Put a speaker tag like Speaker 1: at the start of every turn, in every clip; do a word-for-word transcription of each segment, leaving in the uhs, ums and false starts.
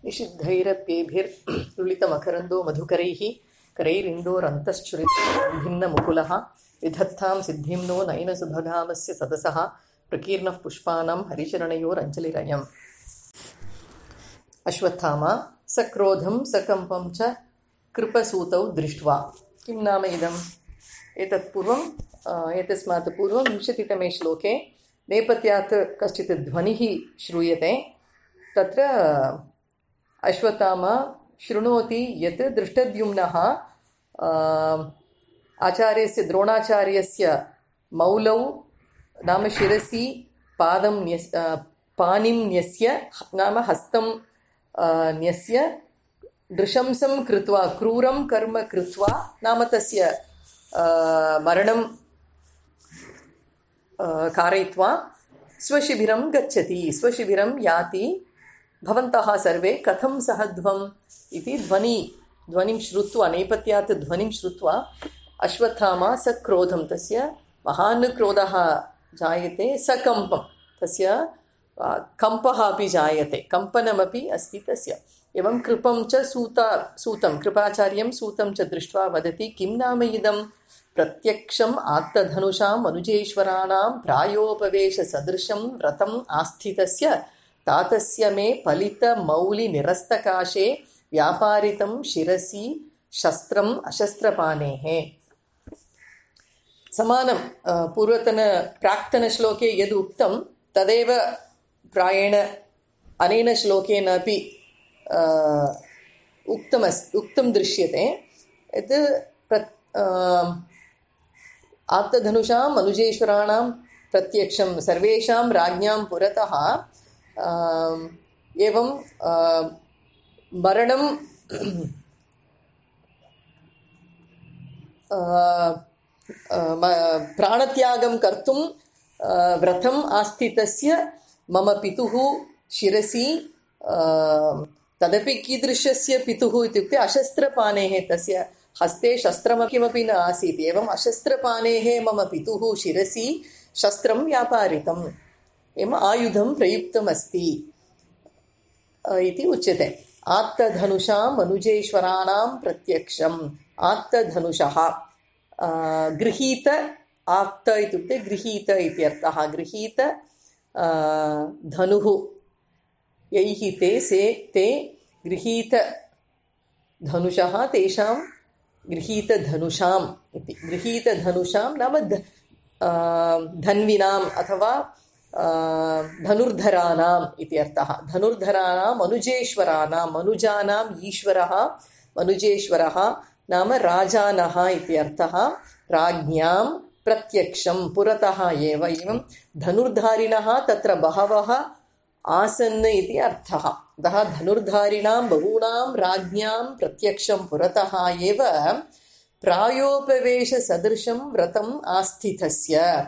Speaker 1: निषिद्धैरप्येभिर्लुलितमकरन्दो मधुकरैः करैरिन्दोरन्तश्चुरितः भिन्नमुकुलः विधत्तां सिद्धिं नो नयनसुभगामस्य सदसः प्रकीर्णः पुष्पाणां हरिचरणयोरञ्जलिरयम्। अश्वत्थामा सक्रोधं सकम्पं च कृपसूतौ दृष्ट्वा। किं नाम इदम्? एतत् पूर्वम् एतस्मात् पूर्वं विंशतितमे श्लोके नेपथ्यात् कश्चित् ध्वनिः श्रूयते। तत्र अश्वत्थामा शृणोति यत् दृष्टद्युम्नः आचार्यस्य द्रोणाचार्यस्य मौलौ नाम शिरसि पादं न्यस् पाणिं न्यस्य नाम हस्तं न्यस्य नृशंसं कृत्वा क्रूरं कर्म कृत्वा नाम तस्य मरणं कारयित्वा स्वशिबिरं गच्छति, स्वशिबिरं याति। भवन्तः सर्वे कथं सहध्वम् इति ध्वनि ध्वनिं श्रुत्वा नेपथ्यात् ध्वनिं श्रुत्वा अश्वत्थामा सक्रोधं तस्य महान् क्रोधः जायते, सकम्पं तस्य कम्पः अपि जायते, कम्पनमपि अस्ति तस्य। एवं कृपं च सूता सूतं कृपाचार्यं सूतं च दृष्ट्वा वदति, किं नाम इदं? प्रत्यक्षम् आत्तधनुषां मनुजेश्वराणां प्रायोपवेशसदृशं व्रतम् आस्थितस्य तातस्य मे फलितमौलिनिरस्तकाशे व्यापारितं शिरसि शस्त्रम् अशस्त्रपाणेः। समानं पूर्वतन प्राक्तनश्लोके यद् उक्तं तदेव प्रायेण अनेन श्लोकेन अपि उक्तमस् उक्तं दृश्यते। यत् आत्तधनुषां मनुजेश्वराणां प्रत्यक्षं सर्वेषां राज्ञां पुरतः एवं मरणं प्राणत्यागं कर्तुं व्रतम् आस्थितस्य मम पितुः शिरसि, तदपि कीदृशस्य पितुः इत्युक्ते अशस्त्रपाणेः, तस्य हस्ते शस्त्रं किमपि न आसीत्। एवम् अशस्त्रपाणेः मम पितुः शिरसि शस्त्रं व्यापारितम्, एवम् आयुधं प्रयुक्तमस्ति इति उच्यते। आत्तधनुषां मनुजेश्वराणां प्रत्यक्षम्। आत्तधनुषः गृहीत, आत्त इत्युक्ते गृहीत इत्यर्थः। गृहीत धनुः यैः ते से ते गृहीत धनुषः तेषां गृहीतधनुषाम् इति। गृहीतधनुषां नाम धन्विनाम् अथवा धनुर्धराणाम् इति अर्थः। धनुर्धराणां मनुजेश्वराणां, मनुजानाम् ईश्वरः मनुजेश्वरः नाम राजानः इति अर्थः। राज्ञां प्रत्यक्षं पुरतः एव। एवं धनुर्धारिणः तत्र बहवः आसन् इति अर्थः। अतः धनुर्धारिणां बहूनां राज्ञां प्रत्यक्षं पुरतः एव प्रायोपवेशसदृशं व्रतम् आस्थितस्य।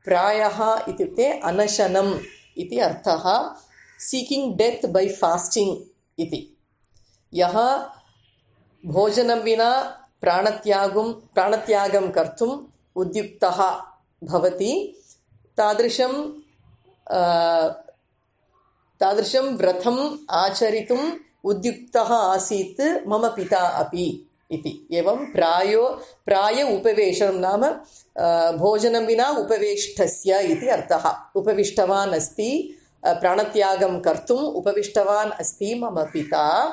Speaker 1: प्रायः इत्युक्ते अनशनम् इति अर्थः। सीकिङ्ग् डेत् बै फास्टिङ्ग् इति। यः भोजनं विना प्राणत्यागं प्राणत्यागं कर्तुम् उद्युक्तः भवति, तादृशं तादृशं व्रतम् आचरितुम् उद्युक्तः आसीत् मम पिता अपि इति। एवं प्रायो प्राय उपवेशनं नाम भोजनं विना उपवेष्टस्य इति अर्थः। उपविष्टवान् अस्ति, प्राणत्यागं कर्तुम् उपविष्टवान् अस्ति मम पिता।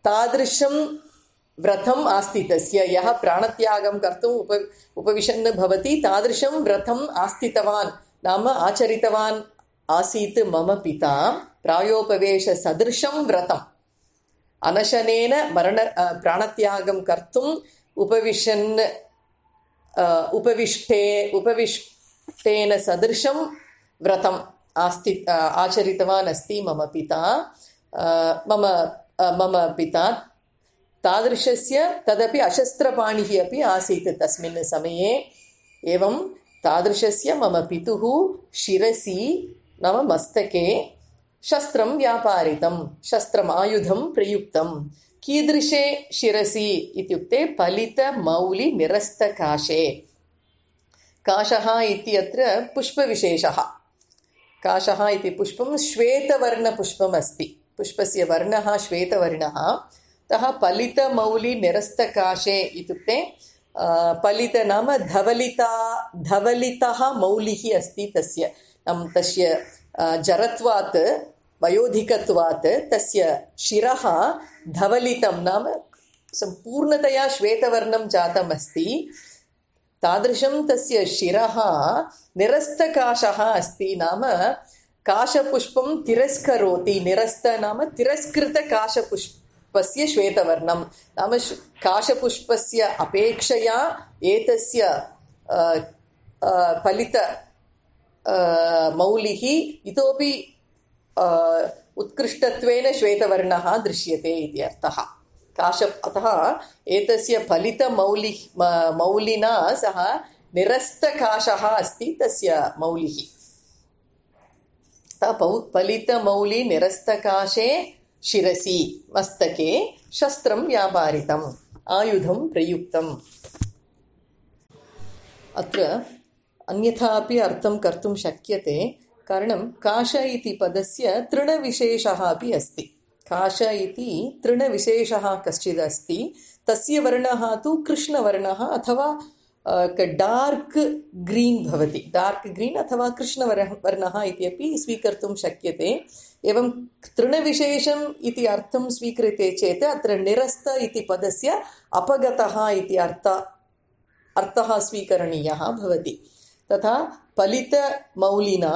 Speaker 1: तादृशं व्रतम् आस्थितस्य, यः प्राणत्यागं कर्तुम् उप उपविशन् भवति, तादृशं व्रतम् आस्थितवान् नाम आचरितवान् आसीत् मम पिता। प्रायोपवेशसदृशं व्रतम् अनशनेन मरण प्राणत्यागं कर्तुम् उपविशन् उपविष्टे उपविष्टेन सदृशं व्रतम् आस्ति आचरितवान् अस्ति मम पिता मम मम पिता। तादृशस्य तदपि अशस्त्रपाणिः अपि आसीत् तस्मिन् समये। एवं तादृशस्य मम पितुः शिरसि नाम मस्तके शस्त्रं व्यापारितं, शस्त्रम् आयुधं प्रयुक्तं। कीदृशे शिरसि इत्युक्ते फलितमौलिनिरस्तकाशे। काशः इत्यत्र पुष्पविशेषः। काशः इति पुष्पं श्वेतवर्णपुष्पम् अस्ति। पुष्पस्य वर्णः श्वेतवर्णः। अतः फलितमौलिनिरस्तकाशे इत्युक्ते फलित नाम धवलिता धवलितः मौलिः अस्ति तस्य। नाम तस्य जरत्वात् वयोधिकत्वात् तस्य शिरः धवलितं नाम सम्पूर्णतया श्वेतवर्णं जातम् अस्ति। तादृशं तस्य शिरः निरस्तकाशः अस्ति। नाम काशपुष्पं तिरस्करोति। निरस्त नाम तिरस्कृतकाशपुष्पस्य श्वेतवर्णं। नाम काशपुष्पस्य अपेक्षया एतस्य फलित मौलिः इतोपि उत्कृष्टत्वेन श्वेतवर्णः दृश्यते इति अर्थः। काश अतः एतस्य फलितमौलिः मौलिना सह निरस्तकाशः अस्ति तस्य मौलिः। फलितमौलि निरस्तकाशे शिरसि मस्तके शस्त्रं व्यापारितम् आयुधं प्रयुक्तम्। अत्र अन्यथा अपि अर्थं कर्तुं शक्यते। कारणं काश इति पदस्य तृणविशेषः अपि अस्ति। काश इति तृणविशेषः कश्चित् अस्ति। तस्य वर्णः तु कृष्णवर्णः अथवा डार्क् ग्रीन् भवति। डार्क् ग्रीन् अथवा कृष्णवर्णः इति अपि स्वीकर्तुं शक्यते। एवं तृणविशेषम् इति अर्थं स्वीक्रियते चेत् अत्र निरस्त इति पदस्य अपगतः इति अर्थ अर्थः स्वीकरणीयः भवति। तथा फलितमौलिना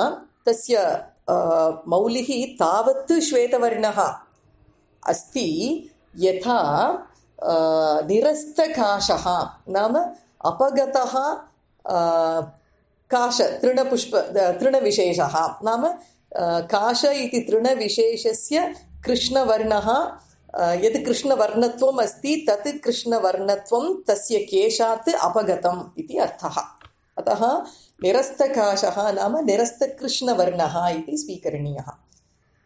Speaker 1: तस्य मौलिः तावत् श्वेतवर्णः अस्ति यथा निरस्तकाशः नाम अपगतः काश तृणपुष्प तृणविशेषः। नाम काश इति तृणविशेषस्य कृष्णवर्णः यत् कृष्णवर्णत्वम् अस्ति तत् कृष्णवर्णत्वं तस्य केशात् अपगतम् इति अर्थः। अतः निरस्तकाशः नाम निरस्तकृष्णवर्णः इति स्वीकरणीयः।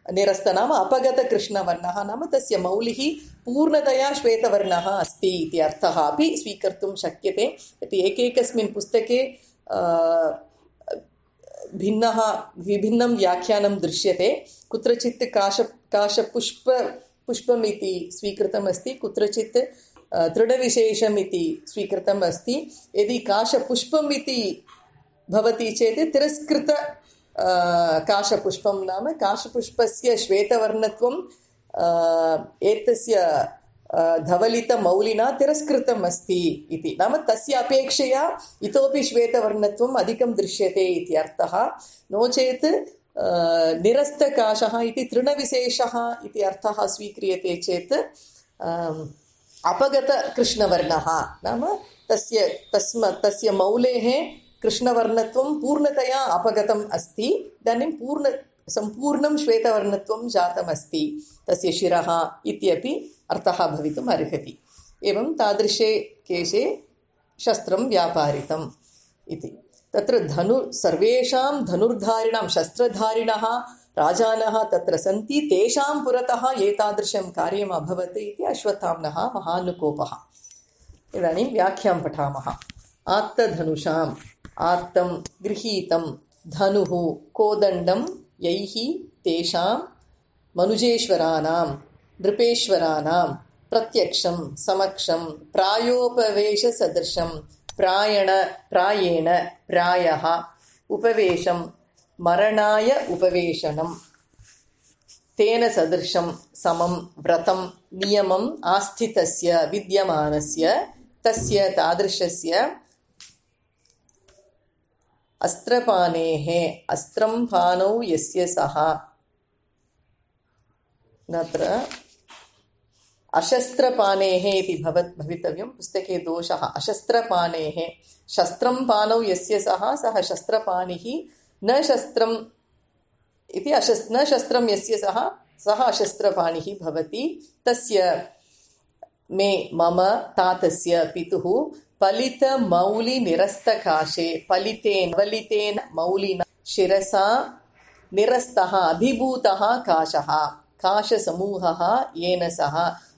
Speaker 1: निरस्त नाम अपगतकृष्णवर्णः नाम तस्य मौलिः पूर्णतया श्वेतवर्णः अस्ति इति अर्थः अपि स्वीकर्तुं शक्यते। यत् एकैकस्मिन् पुस्तके भिन्नः विभिन्नं व्याख्यानं दृश्यते। कुत्रचित् काश काशपुष्प पुष्पम् इति स्वीकृतमस्ति, कुत्रचित् तृणविशेषम् इति स्वीकृतम् अस्ति। यदि काशपुष्पम् इति भवति चेत् तिरस्कृत काशपुष्पं नाम काशपुष्पस्य श्वेतवर्णत्वं एतस्य धवलितमौलिना तिरस्कृतम् अस्ति इति। नाम तस्य अपेक्षया इतोपि श्वेतवर्णत्वम् अधिकं दृश्यते इति अर्थः। नो चेत् निरस्तकाशः इति तृणविशेषः इति अर्थः स्वीक्रियते चेत् अपगतकृष्णवर्णः नाम तस्य तस्म तस्य मौलेः कृष्णवर्णत्वं पूर्णतया अपगतम् अस्ति। इदानीं पूर्ण सम्पूर्णं श्वेतवर्णत्वं जातमस्ति तस्य शिरः इत्यपि अर्थः भवितुम् अर्हति। एवं तादृशे केशे शस्त्रं व्यापारितम् इति। तत्र धनु सर्वेषां धनुर्धारिणां शस्त्रधारिणः राजानः तत्र सन्ति। तेषां पुरतः एतादृशं कार्यम् अभवत् इति अश्वत्थाम्नः महानुकोपः। इदानीं व्याख्यां पठामः। आत्तधनुषाम् आत्तं गृहीतं धनुः कोदण्डं यैः तेषां मनुजेश्वराणां नृपेश्वराणां प्रत्यक्षं समक्षं प्रायोपवेशसदृशं प्रायण प्रायेण प्रायः उपवेशं मरणाय उपवेशनं तेन सदृशं समं व्रतं नियमम् आस्थितस्य विद्यमानस्य तस्य तादृशस्य अस्त्रपानेः अस्त्रं पानौ यस्य सः नत्र अशस्त्रपानेः इति भवत् भवितव्यं पुस्तके दोषः। अशस्त्रपानेः शस्त्रं पानौ यस्य सः सः शस्त्रपाणिः न शस्त्रम् इति अशस् न शस्त्रं यस्य सः सः अशस्त्रपाणिः भवति। तस्य मे मम तातस्य पितुः फलितमौलिनिरस्तकाशे फलितेन फलितेन मौलिना शिरसा निरस्तः अभिभूतः काशः काशसमूहः येन सह।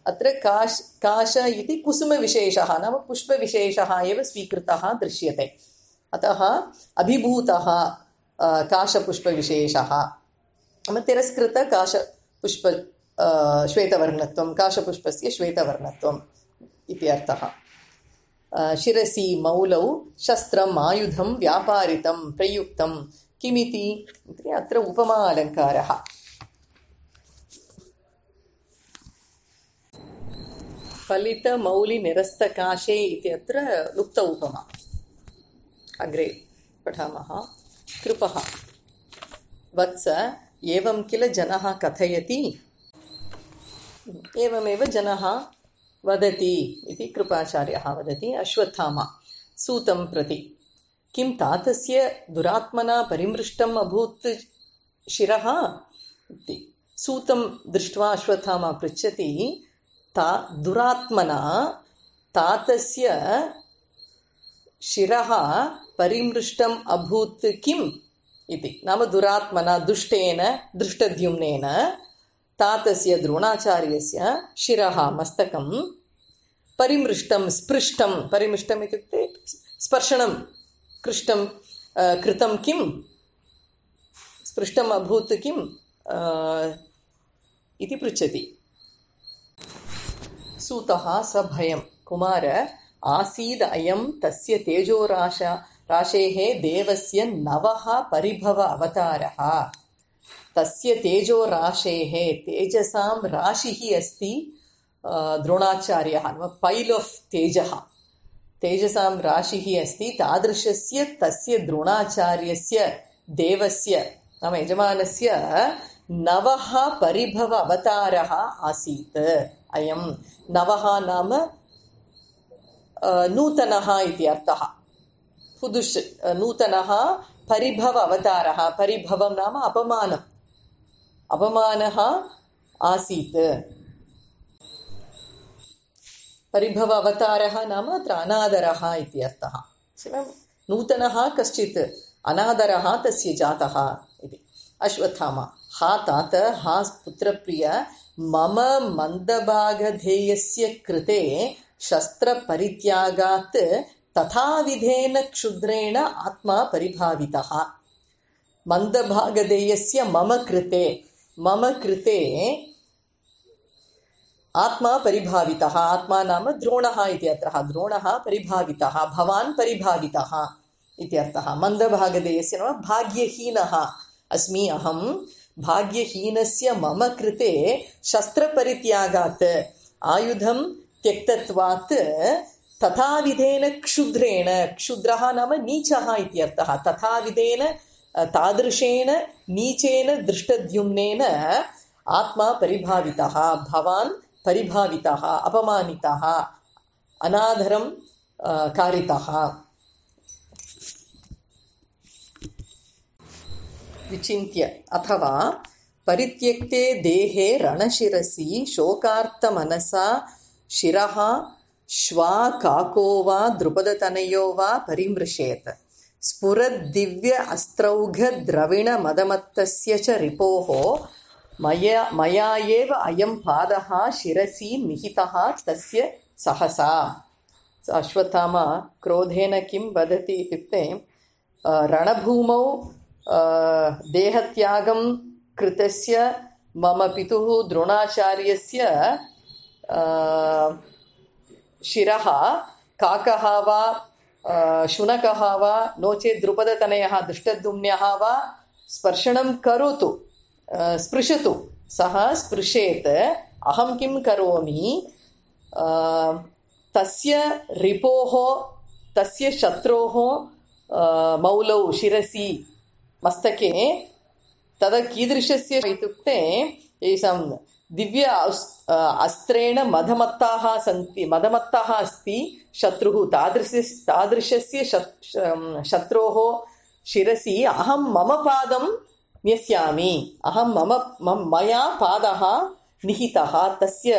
Speaker 1: अत्र काश काश इति कुसुमविशेषः नाम पुष्पविशेषः एव स्वीकृतः दृश्यते। अतः अभिभूतः काशपुष्पविशेषः तिरस्कृतकाशपुष्प श्वेतवर्णत्वं काशपुष्पस्य श्वेतवर्णत्वम् इति अर्थः। शिरसि मौलौ शस्त्रम् आयुधं व्यापारितं प्रयुक्तं किमिति अत्र उपमा अलङ्कारः। फलितमौलिनिरस्तकाशे इति अत्र लुप्त उपमा। अग्रे पठामः। कृपः वत्स एवं किल जनः कथयति एवमेव जनः वदति इति कृपाचार्यः वदति। अश्वत्थामा सूतं प्रति किं तातस्य दुरात्मना परिमृष्टम् अभूत् शिरः इति। सूतं दृष्ट्वा अश्वत्थामा पृच्छति ता दुरात्मना तातस्य शिरः परिमृष्टम् अभूत् किम् इति। नाम दुरात्मना दुष्टेन दृष्टद्युम्नेन तातस्य द्रोणाचार्यस्य शिरः मस्तकं परिमृष्टं स्पृष्टं परिमृष्टम् इत्युक्ते स्पर्शनं कृष्टं कृतं किं स्पृष्टम् अभूत् किम् इति पृच्छति। सूतः सभयं कुमार आसीद् अयं तस्य तेजोराशा राशेः देवस्य नवः परिभव अवतारः। तस्य तेजोराशेः तेजसां राशिः अस्ति द्रोणाचार्यः पैल् आफ् तेजः तेजसां राशिः अस्ति तादृशस्य तस्य द्रोणाचार्यस्य देवस्य नाम यजमानस्य नवः परिभव अवतारः आसीत्। अयं नवः नाम नूतनः इति अर्थः। पुदुष् नूतनः परिभव अवतारः परिभवं नाम अपमानम् अपमानः आसीत्। परिभव अवतारः नाम अत्र अनादरः इति अर्थः। नूतनः कश्चित् अनादरः तस्य जातः इति। अश्वत्थामा हा तात हा पुत्रप्रिय मम मन्दभागधेयस्य कृते शस्त्रपरित्यागात् तथाविधेन क्षुद्रेण आत्मा परिभावितः। मन्दभागधेयस्य मम कृते मम कृते आत्मा परिभावितः। आत्मा नाम द्रोणः इति अर्थः। द्रोणः परिभावितः भवान् परिभावितः इति अर्थः। मन्दभागधेयस्य नाम भाग्यहीनः अस्मि अहं भाग्यहीनस्य मम कृते शस्त्रपरित्यागात् आयुधं त्यक्तत्वात् तथाविधेन क्षुद्रेण क्षुद्रः नाम नीचः इति अर्थः। तथाविधेन तादृशेन नीचेन दृष्टद्युम्नेन आत्मा परिभावितः भवान् परिभावितः अपमानितः अनादरं कारितः। विचिन्त्य अथवा परित्यक्ते देहे रणशिरसि शोकार्तमनसा शिरः श्वा काको वा द्रुपदतनयो वा परिमृशेत् स्फुरद्दिव्य अस्त्रौघद्रविणमदमत्तस्य च रिपोः मया मया एव अयं पादः शिरसि निहितः तस्य सहसा। अश्वत्थामा क्रोधेन किं वदति इत्युक्ते रणभूमौ देहत्यागं कृतस्य मम पितुः द्रोणाचार्यस्य शिरः काकः वा शुनकः वा नो चेत् द्रुपदतनयः दृष्टद्युम्नः वा स्पर्शनं करोतु स्पृशतु सः स्पृशेत् अहं किं करोमि तस्य रिपोः तस्य शत्रोः मौलौ शिरसि मस्तके तदा कीदृशस्य इत्युक्ते येषां दिव्य अस्त्रेण मदमत्ताः सन्ति मदमत्तः अस्ति शत्रुः तादृश तादृशस्य शत्रोः शिरसि अहं मम पादं न्यस्यामि अहं मम मया पादः निहितः तस्य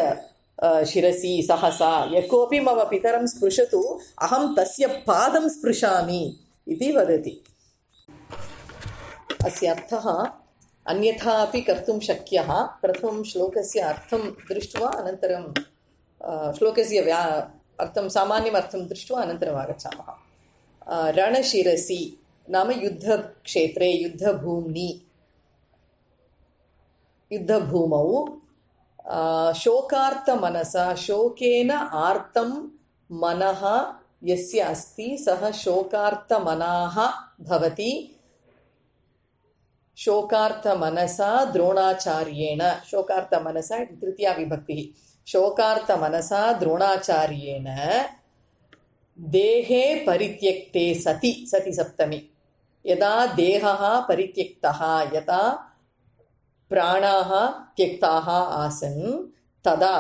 Speaker 1: शिरसि सहसा यः कोऽपि मम पितरं स्पृशतु अहं तस्य पादं स्पृशामि इति वदति। अस्य अर्थः अन्यथा अपि कर्तुं शक्यः। प्रथमं श्लोकस्य अर्थं दृष्ट्वा अनन्तरं श्लोकस्य व्या अर्थं सामान्यम् अर्थं दृष्ट्वा अनन्तरम् आगच्छामः। रणशिरसि नाम युद्धक्षेत्रे युद्धभूम्नि युद्धभूमौ शोकार्तमनसा शोकेन आर्तं मनः यस्य अस्ति सः शोकार्तमनाः भवति शोकार्तमनसा द्रोणाचार्येण शोकार्तमनसा इति तृतीया विभक्तिः शोकार्तमनसा द्रोणाचार्येण देहे परित्यक्ते सति सति सप्तमी यदा देहः परित्यक्तः यदा प्राणाः त्यक्ताः आसन् तदा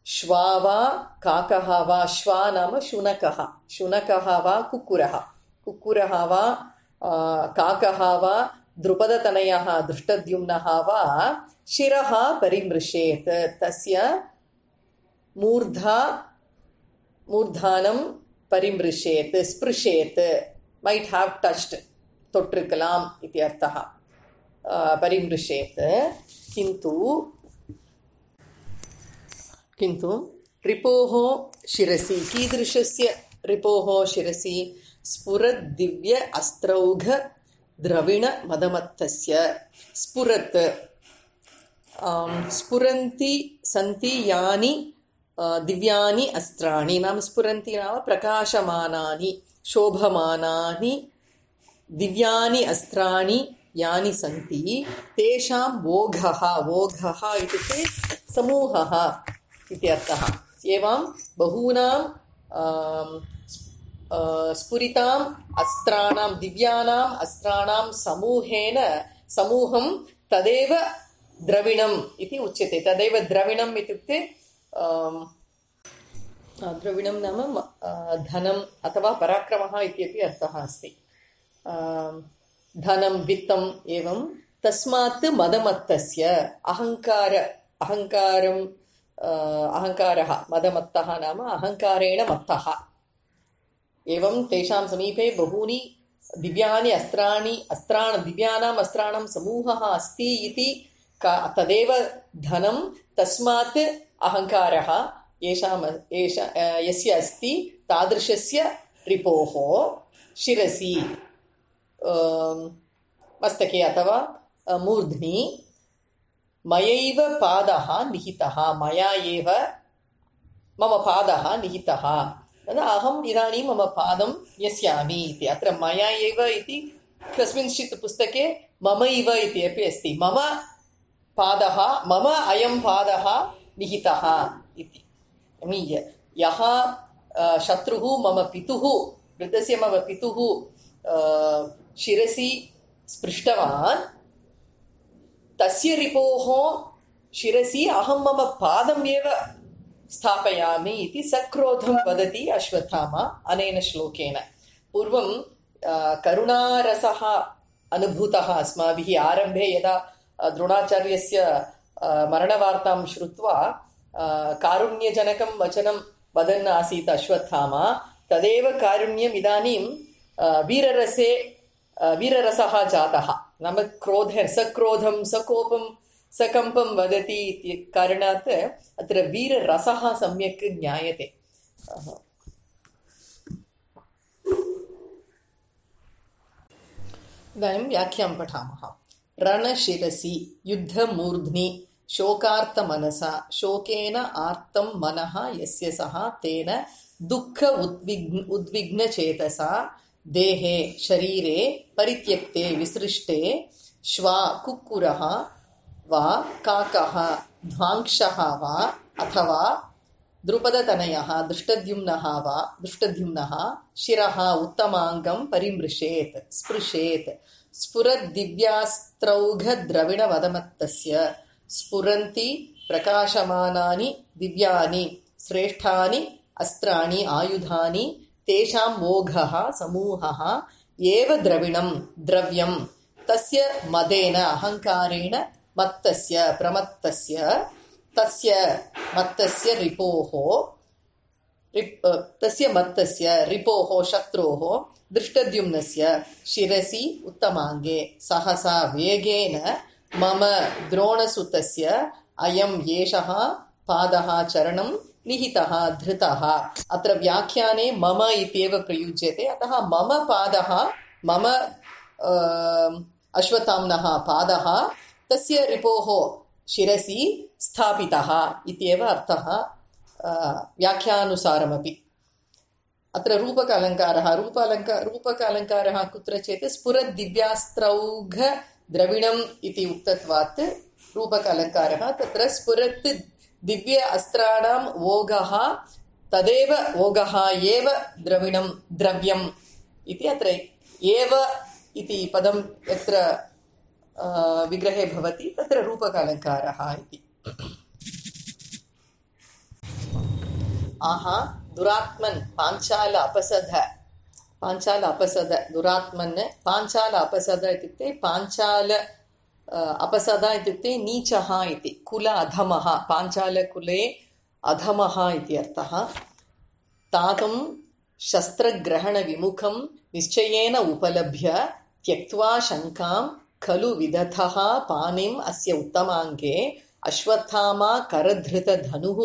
Speaker 1: श्वा वा काकः वा श्वा नाम शुनकः शुनकः वा कुक्कुरः कुक्कुरः वा काकः वा द्रुपदतनयः दृष्टद्युम्नः वा शिरः परिमृशेत् तस्य मूर्धा मूर्धानं परिमृशेत् स्पृशेत् might have touched தொட்டிருக்கலாம் इति अर्थः परिमृशेत् किन्तु किन्तु रिपोः शिरसि कीदृशस्य रिपोः शिरसि स्फुरत् दिव्य अस्त्रौघ द्रविण मदमत्तस्य स्फुरत् स्फुरन्ति सन्ति यानि दिव्यानि अस्त्राणि नाम स्फुरन्ति नाम प्रकाशमानानि शोभमानानि दिव्यानि अस्त्राणि यानि सन्ति तेषां वोघः वोघः इत्युक्ते समूहः इति अर्थः एवं बहूनां स्फुरिताम् अस्त्राणां दिव्यानाम् अस्त्राणां समूहेन समूहं तदेव द्रविणम् इति उच्यते तदेव द्रविणम् इत्युक्ते द्रविणं नाम धनम् अथवा पराक्रमः इत्यपि अर्थः अस्ति धनं वित्तम् एवं तस्मात् मदमत्तस्य अहङ्कार अहङ्कारम् अहङ्कारः मदमत्तः नाम अहङ्कारेण मत्तः एवं तेषां समीपे बहूनि दिव्यानि अस्त्राणि अस्त्राणि दिव्यानाम् अस्त्राणां समूहः अस्ति इति तदेव धनं तस्मात् अहङ्कारः येषाम् एष यस्य अस्ति तादृशस्य रिपोः शिरसि मस्तके अथवा मूर्ध्नि मयैव पादः निहितः मया एव मम पादः निहितः अहम् इदानीं मम पादं न्यस्यामि इति अत्र मया एव इति कस्मिंश्चित् पुस्तके मम इव इति अपि अस्ति मम पादः मम अयं पादः निहितः इति यः शत्रुः मम पितुः वृद्धस्य मम पितुः शिरसि स्पृष्टवान् तस्य रिपोः शिरसि अहं मम पादम् एव स्थापयामि इति सक्रोधं वदति अश्वत्थामा अनेन श्लोकेन पूर्वं करुणारसः अनुभूतः अस्माभिः आरम्भे यदा द्रोणाचार्यस्य मरणवार्तां श्रुत्वा कारुण्यजनकं वचनं वदन् आसीत् अश्वत्थामा तदेव कारुण्यम् इदानीं वीररसे वीररसः जातः नाम क्रोध सक्रोधं सकोपं सकम्पं वदति इति कारणात् अत्र वीररसः सम्यक् ज्ञायते इदानीं व्याख्यां पठामः रणशिरसि युद्धमूर्ध्नि शोकार्तमनसा शोकेन आर्तं मनः यस्य सः तेन दुःख उद्विग्न उद्विग्नचेतसा देहे शरीरे परित्यक्ते विसृष्टे श्वा कुक्कुरः वा काकः ध्वांक्षः वा अथवा द्रुपदतनयः दृष्टद्युम्नः वा दृष्टद्युम्नः शिरः उत्तमाङ्गं परिमृशेत् स्पृशेत् स्फुरद्दिव्यास्त्रौघद्रविणवदमत्तस्य स्फुरन्ति प्रकाशमानानि दिव्यानि श्रेष्ठानि अस्त्राणि आयुधानि तेषां मोघः समूहः एव द्रविणं द्रव्यं तस्य मदेन अहङ्कारेण मत्तस्य प्रमत्तस्य तस्य मत्तस्य रिपोः रिप् तस्य मत्तस्य रिपोः शत्रोः दृष्टद्युम्नस्य शिरसि उत्तमाङ्गे सहसा वेगेन मम द्रोणसुतस्य अयं येषः पादः चरणं निहितः धृतः अत्र व्याख्याने मम इत्येव प्रयुज्यते अतः मम पादः मम अश्वत्थाम्नः पादः तस्य रिपोः शिरसि स्थापितः इत्येव अर्थः व्याख्यानुसारमपि। अत्र रूपक अलङ्कारः रूपालङ्क रूपक अलङ्कारः कुत्र चेत् स्फुरद्दिव्यास्त्रौघ द्रविणम् इति उक्तत्वात् रूपक अलङ्कारः तत्र स्फुरत् दिव्य अस्त्राणां ओघः तदेव ओघः एव द्रविणं द्रव्यम् इति अत्र एव इति पदं यत्र विग्रहे भवति तत्र रूपक अलङ्कारः इति। आहा दुरात्मन् पाञ्चाल अपसद पाञ्चाल अपसद दुरात्मन् पाञ्चाल अपसद इत्युक्ते पाञ्चाल अपसद इत्युक्ते नीचः इति कुल अधमः पाञ्चालकुले अधमः इति अर्थः। तातं शस्त्रग्रहणविमुखं निश्चयेन उपलभ्य त्यक्त्वा शङ्कां खलु विदधः पाणिम् अस्य उत्तमाङ्गे अश्वत्थामा करधृतधनुः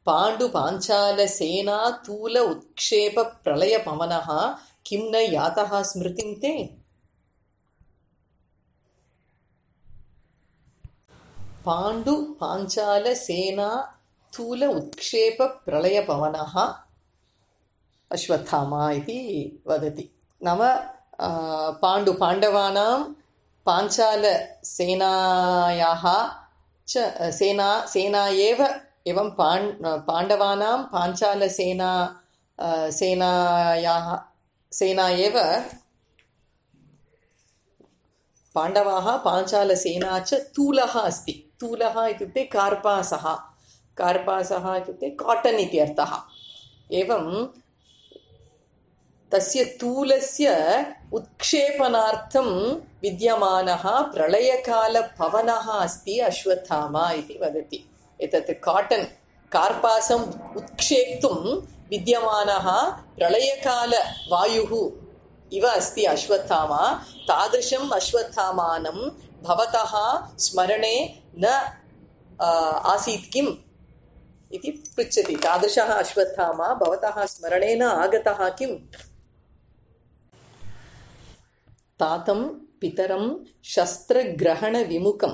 Speaker 1: पाण्डुपाञ्चालसेना तूल उत्क्षेप प्रलयपवनः किं न यातः स्मृतिं ते। पाण्डुपाञ्चालसेना तूल उत्क्षेप प्रलयपवनः अश्वत्थामा इति वदति। नाम पाण्डु पाण्डवानां पाञ्चालसेनायाः च सेना सेना एव एवं पाण् पाण्डवानां पाञ्चालसेना सेनायाः सेना एव पाण्डवाः पाञ्चालसेना च तूलः अस्ति। तूलः इत्युक्ते कार्पासः कार्पासः इत्युक्ते काटन् इति अर्थः। एवं तस्य तूलस्य उत्क्षेपणार्थं विद्यमानः प्रलयकालपवनः अस्ति अश्वत्थामा इति वदति। एतत् काटन् कार्पासम् उत्क्षेप्तुं विद्यमानः प्रलयकालवायुः इव अस्ति अश्वत्थामा। तादृशम् अश्वत्थामानं भवतः स्मरणे न आसीत् किम् इति पृच्छति। तादृशः अश्वत्थामा भवतः स्मरणे न आगतः किम्। तातं पितरं शस्त्रग्रहणविमुखं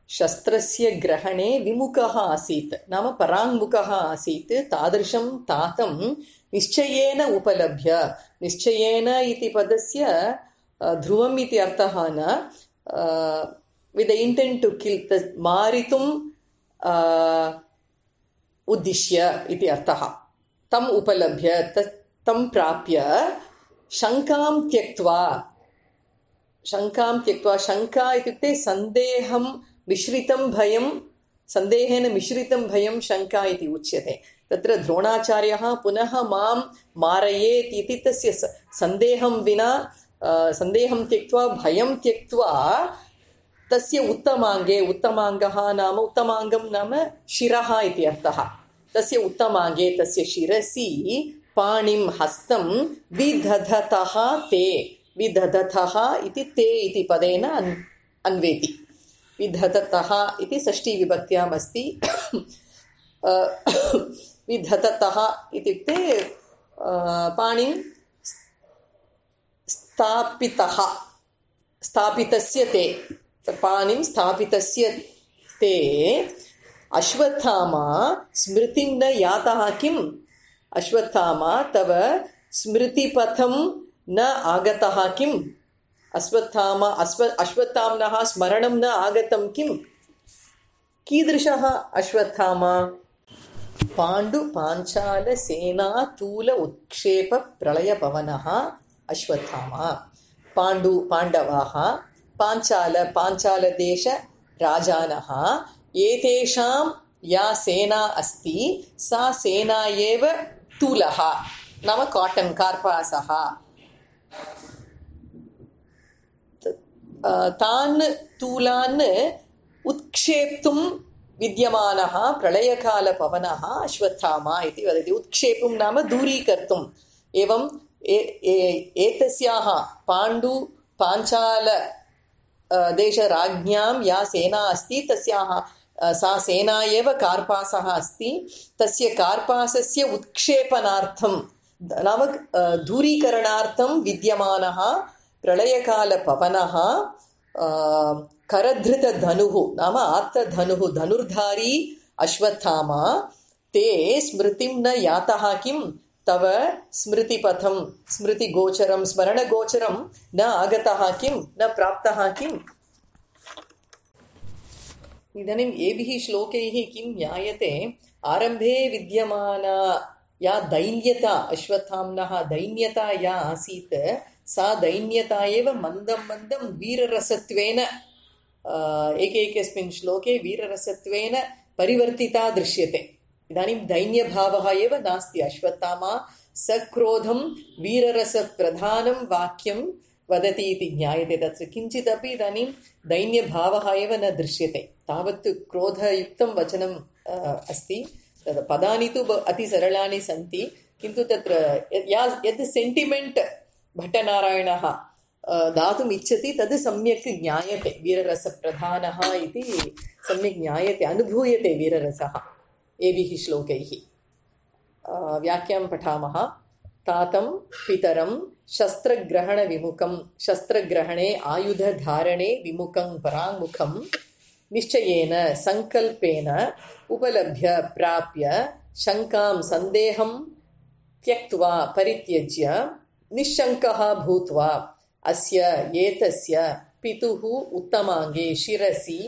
Speaker 1: शस्त्रस्य ग्रहणे विमुखः आसीत् नाम पराङ्मुखः आसीत्। तादृशं तातं निश्चयेन उपलभ्य निश्चयेन इति पदस्य ध्रुवम् इति अर्थः न वित् द इंटेंट टू किल मारितुम् उद्दिश्य इति अर्थः। तम् उपलभ्य तं प्राप्य शङ्कां त्यक्त्वा शङ्कां त्यक्त्वा शङ्का इत्युक्ते सन्देहं मिश्रितं भयं सन्देहेन मिश्रितं भयं शङ्का इति उच्यते। तत्र द्रोणाचार्यः पुनः मां मारयेत् इति तस्य सन्देहं विना सन्देहं त्यक्त्वा भयं त्यक्त्वा तस्य उत्तमाङ्गे उत्तमाङ्गः नाम उत्तमाङ्गं नाम शिरः इति अर्थः। तस्य उत्तमाङ्गे तस्य शिरसि पाणिं हस्तं विदधतः ते विदधतः इति ते इति पदेन अन्वेति। विदधतः इति षष्ठी विभक्त्याम् अस्ति। विदधतः इत्युक्ते पाणिं स्थापितः स्थापितस्य ते पाणिं स्थापितस्य ते अश्वत्थामा स्मृतिं न यातः किम्। अश्वत्थामा तव स्मृतिपथं न आगतः किम्। अश्वत्थामा अश्व अश्वत्थाम्नः स्मरणं न आगतं किम्। कीदृशः अश्वत्थामा। पाण्डुपाञ्चालसेना तूल उत्क्षेप प्रलयपवनः अश्वत्थामा। पाण्डु पाण्डवाः पाञ्चाल पाञ्चालदेश राजानः एतेषां या सेना अस्ति सा सेना एव तूलः नाम काटन् कार्पासः। तान् तूलान् उत्क्षेप्तुं विद्यमानः प्रलयकालपवनः अश्वत्थामा इति वदति। उत्क्षेपुं नाम दूरीकर्तुम्। एवं एतस्याः पाण्डु पाञ्चाल देशराज्ञां या सेना अस्ति तस्याः सा सेना एव कार्पासः अस्ति। तस्य कार्पासस्य उत्क्षेपणार्थं नाम दूरीकरणार्थं विद्यमानः प्रलयकालपवनः करधृतधनुः नाम आत्तधनुः धनुर्धारी अश्वत्थामा ते स्मृतिं न यातः किं तव स्मृतिपथं स्मृतिगोचरं स्मरणगोचरं न आगतः किं न प्राप्तः किम् इदानीम् एभिः श्लोकैः किं ज्ञायते आरम्भे विद्यमाना या दैन्यता अश्वत्थाम्नः दैन्यता या आसीत् सा दैन्यता एव मन्दं मन्दं वीररसत्वेन एकैकस्मिन् श्लोके वीररसत्वेन परिवर्तिता दृश्यते इदानीं दैन्यभावः एव नास्ति अश्वत्थामा सक्रोधं वीररसप्रधानं वाक्यं वदति इति ज्ञायते तत्र किञ्चिदपि इदानीं दैन्यभावः एव न दृश्यते तावत् क्रोधयुक्तं वचनम् अस्ति तद् पदानि तु अतिसरलानि सन्ति किन्तु तत्र यत् सेण्टिमेण्ट् भट्टनारायणः दातुम् इच्छति तद् सम्यक् ज्ञायते वीररसप्रधानः इति सम्यक् ज्ञायते अनुभूयते वीररसः एभिः श्लोकैः व्याख्यां पठामः तातं पितरं शस्त्रग्रहणविमुखं शस्त्रग्रहणे आयुधधारणे विमुखं पराङ्मुखं निश्चयेन सङ्कल्पेन उपलभ्य प्राप्य शङ्कां सन्देहं त्यक्त्वा परित्यज्य निश्शङ्कः भूत्वा अस्य एतस्य पितुः उत्तमाङ्गे शिरसि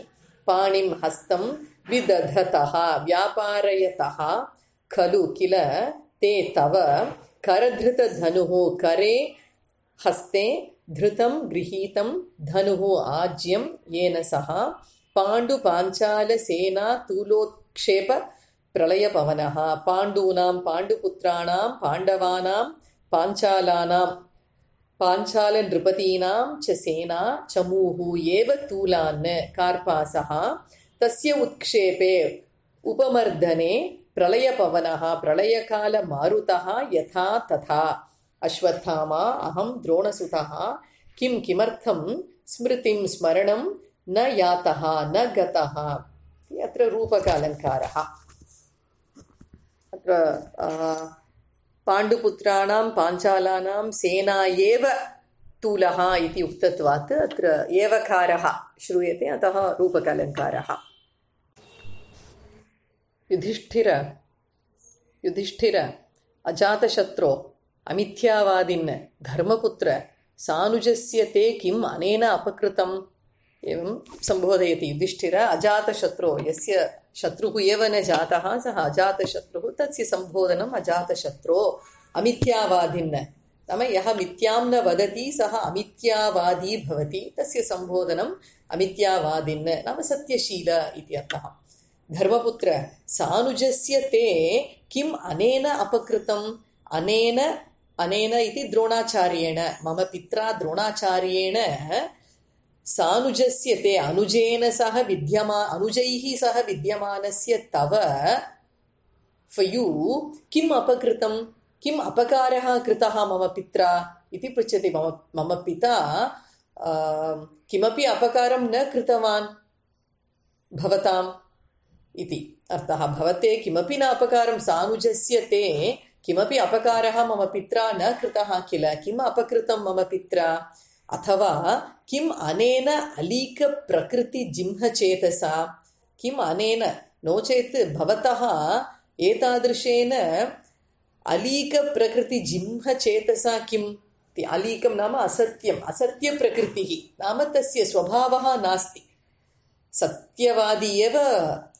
Speaker 1: पाणिं हस्तं विदधतः व्यापारयतः खलु किल ते तव करधृतधनुः करे हस्ते धृतं गृहीतं धनुः आज्यं येन सह पाण्डुपाञ्चालसेना तूलोत्क्षेप प्रलयपवनः पाण्डूनां पाण्डुपुत्राणां पाण्डवानां पाञ्चालानां पाञ्चालनृपतीनां च सेना चमूः एव तूलान् कार्पासः तस्य उत्क्षेपे उपमर्दने प्रलयपवनः प्रलयकालमारुतः यथा तथा अश्वत्थामा अहं द्रोणसुतः किं किमर्थं स्मृतिं स्मरणं न यातः न गतः अत्र रूपकालङ्कारः अत्र पाण्डुपुत्राणां पाञ्चालानां सेना एव तूलः इति उक्तत्वात् अत्र एवकारः श्रूयते अतः रूपकालङ्कारः युधिष्ठिर युधिष्ठिर अजातशत्रो अमिथ्यावादिन् धर्मपुत्र सानुजस्य ते किम् अनेन अपकृतम् एवं संबोधयति युधिष्ठिर अजातशत्रो यस्य शत्रुः एव न जातः सः अजातशत्रुः तस्य संबोधनम् अजातशत्रो अमिथ्यावादिन् नाम यः मिथ्यां न वदति सः अमिथ्यावादी भवति तस्य संबोधनम् अमिथ्यावादिन् नाम सत्यशील इति अर्थः धर्मपुत्र सानुजस्य ते किम् अनेन अपकृतम् अनेन अनेन इति द्रोणाचार्येण मम पित्रा द्रोणाचार्येण सानुजस्य ते अनुजेन सह विद्यमा अनुजैः सह विद्यमानस्य तव for you किम् अपकृतं किम् अपकारः कृतः मम पित्रा इति पृच्छति मम मम पिता किमपि अपकारं न कृतवान् भवताम् इति अर्थः भवते किमपि न अपकारं सानुजस्य ते किमपि अपकारः मम पित्रा न कृतः किल किम् अपकृतं मम पित्रा अथवा किम् अनेन अलीकप्रकृतिजिह्मचेतसा किम् अनेन नो चेत् भवतः एतादृशेन अलीकप्रकृतिजिह्मचेतसा किम् अलीकं नाम असत्यम् असत्यप्रकृतिः नाम तस्य स्वभावः नास्ति सत्यवादी एव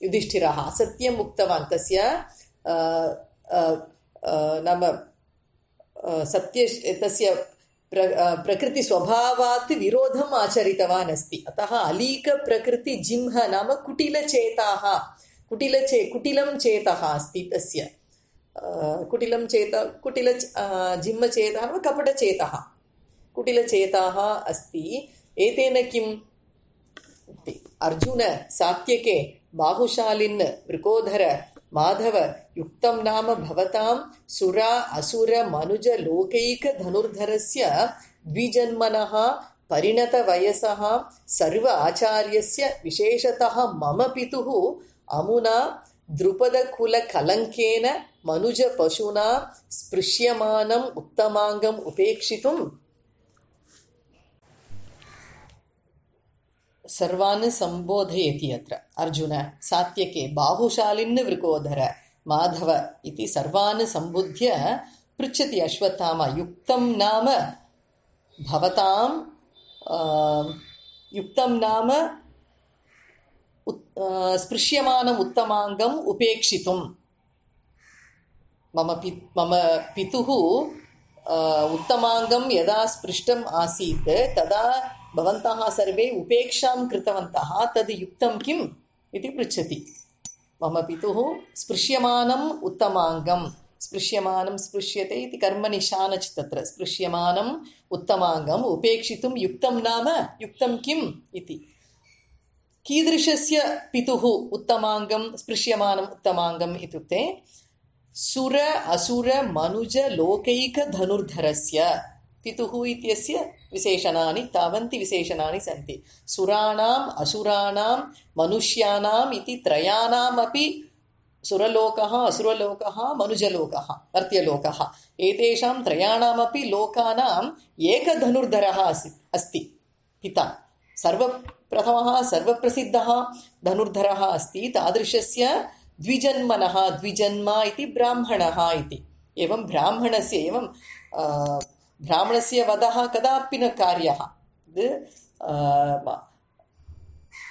Speaker 1: युधिष्ठिरः असत्यम् उक्तवान् तस्य नाम सत्य तस्य प्र प्रकृतिस्वभावात् विरोधम् आचरितवान् अस्ति अतः अलीकप्रकृतिजिह्म नाम कुटिलचेताः कुटिलचे कुटिलं चेतः अस्ति तस्य कुटिलं चेत कुटिल जिह्मचेतः नाम कपटचेतः कुटिलचेताः अस्ति एतेन किम् अर्जुन सात्यके बाहुशालिन् वृकोधर माधव युक्तं नाम भवतां सुरा असुर मनुज लोकैक धनुर्धरस्य द्विजन्मनः परिणतवयसः सर्व आचार्यस्य विशेषतः मम पितुः अमुना द्रुपदकुलकलङ्केन मनुजपशुना स्पृश्यमानम् उत्तमाङ्गम् उपेक्षितुम् सर्वान् सम्बोधयति। अत्र अर्जुन सात्यके बाहुशालिन् वृकोदर माधव इति सर्वान् सम्बुध्य पृच्छति अश्वत्थामा युक्तं नाम भवतां युक्तं नाम स्पृश्यमानम् उत्तमाङ्गम् उपेक्षितुं मम पि मम पितुः उत्तमाङ्गं यदा स्पृष्टम् आसीत् तदा भवन्तः सर्वे उपेक्षां कृतवन्तः तद् युक्तं किम् इति पृच्छति। मम पितुः स्पृश्यमानम् उत्तमाङ्गं स्पृश्यमानं स्पृश्यते इति कर्मनिशानच् तत्र स्पृश्यमानम् उत्तमाङ्गम् उपेक्षितुं युक्तं नाम युक्तं किम् इति। कीदृशस्य पितुः उत्तमाङ्गं स्पृश्यमानम् उत्तमाङ्गम् इत्युक्ते सुर असुर मनुज लोकैक धनुर्धरस्य पितुः इत्यस्य विशेषणानि तावन्ति विशेषणानि सन्ति। सुराणाम् असुराणां मनुष्याणाम् इति त्रयाणामपि सुरलोकः असुरलोकः मनुजलोकः मर्त्यलोकः एतेषां त्रयाणामपि लोकानाम् एकधनुर्धरः अस्ति पिता। सर्वप्रथमः सर्वप्रसिद्धः धनुर्धरः अस्ति। तादृशस्य द्विजन्मनः द्विजन्मा इति ब्राह्मणः इति। एवं ब्राह्मणस्य एवं ब्राह्मणस्य वधः कदापि न कार्यः।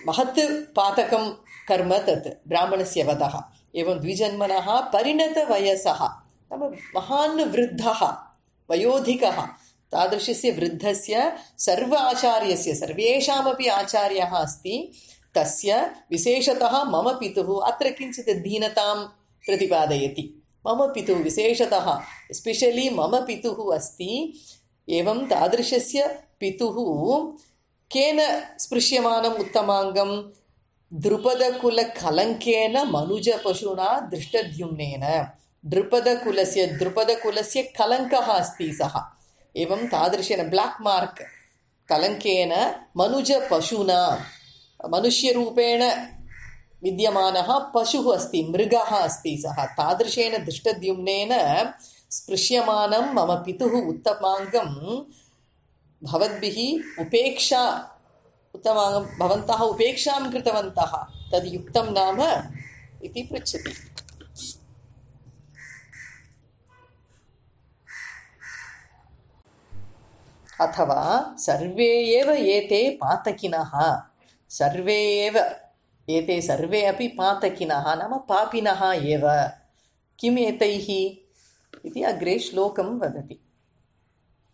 Speaker 1: महत् पातकं कर्म तत् ब्राह्मणस्य वधः। एवं द्विजन्मनः परिणतवयसः नाम महान् वृद्धः वयोधिकः तादृशस्य वृद्धस्य सर्व आचार्यस्य सर्वेषामपि आचार्यः अस्ति। तस्य विशेषतः मम पितुः अत्र किञ्चित् दीनतां प्रतिपादयति। मम पितुः विशेषतः एस्पेशलि मम पितुः अस्ति। एवं तादृशस्य पितुः केन स्पृश्यमानम् उत्तमाङ्गं द्रुपदकुलकलङ्केन मनुजपशुना दृष्टद्युम्नेन। द्रुपदकुलस्य द्रुपदकुलस्य कलङ्कः अस्ति सः। एवं तादृशेन ब्लाक् मार्क् कलङ्केन मनुजपशुना मनुष्यरूपेण विद्यमानः पशुः अस्ति मृगः अस्ति सः। तादृशेन दृष्टद्युम्नेन स्पृश्यमानं मम पितुः उत्तमाङ्गं भवद्भिः उपेक्षा उत्तमाङ्गं भवन्तः उपेक्षां कृतवन्तः तद् युक्तं नाम इति पृच्छति। अथवा सर्वे एव एते पातकिनः सर्वे एव एते सर्वे अपि पातकिनः नाम पापिनः एव किम् एतैः इति अग्रे श्लोकं वदति।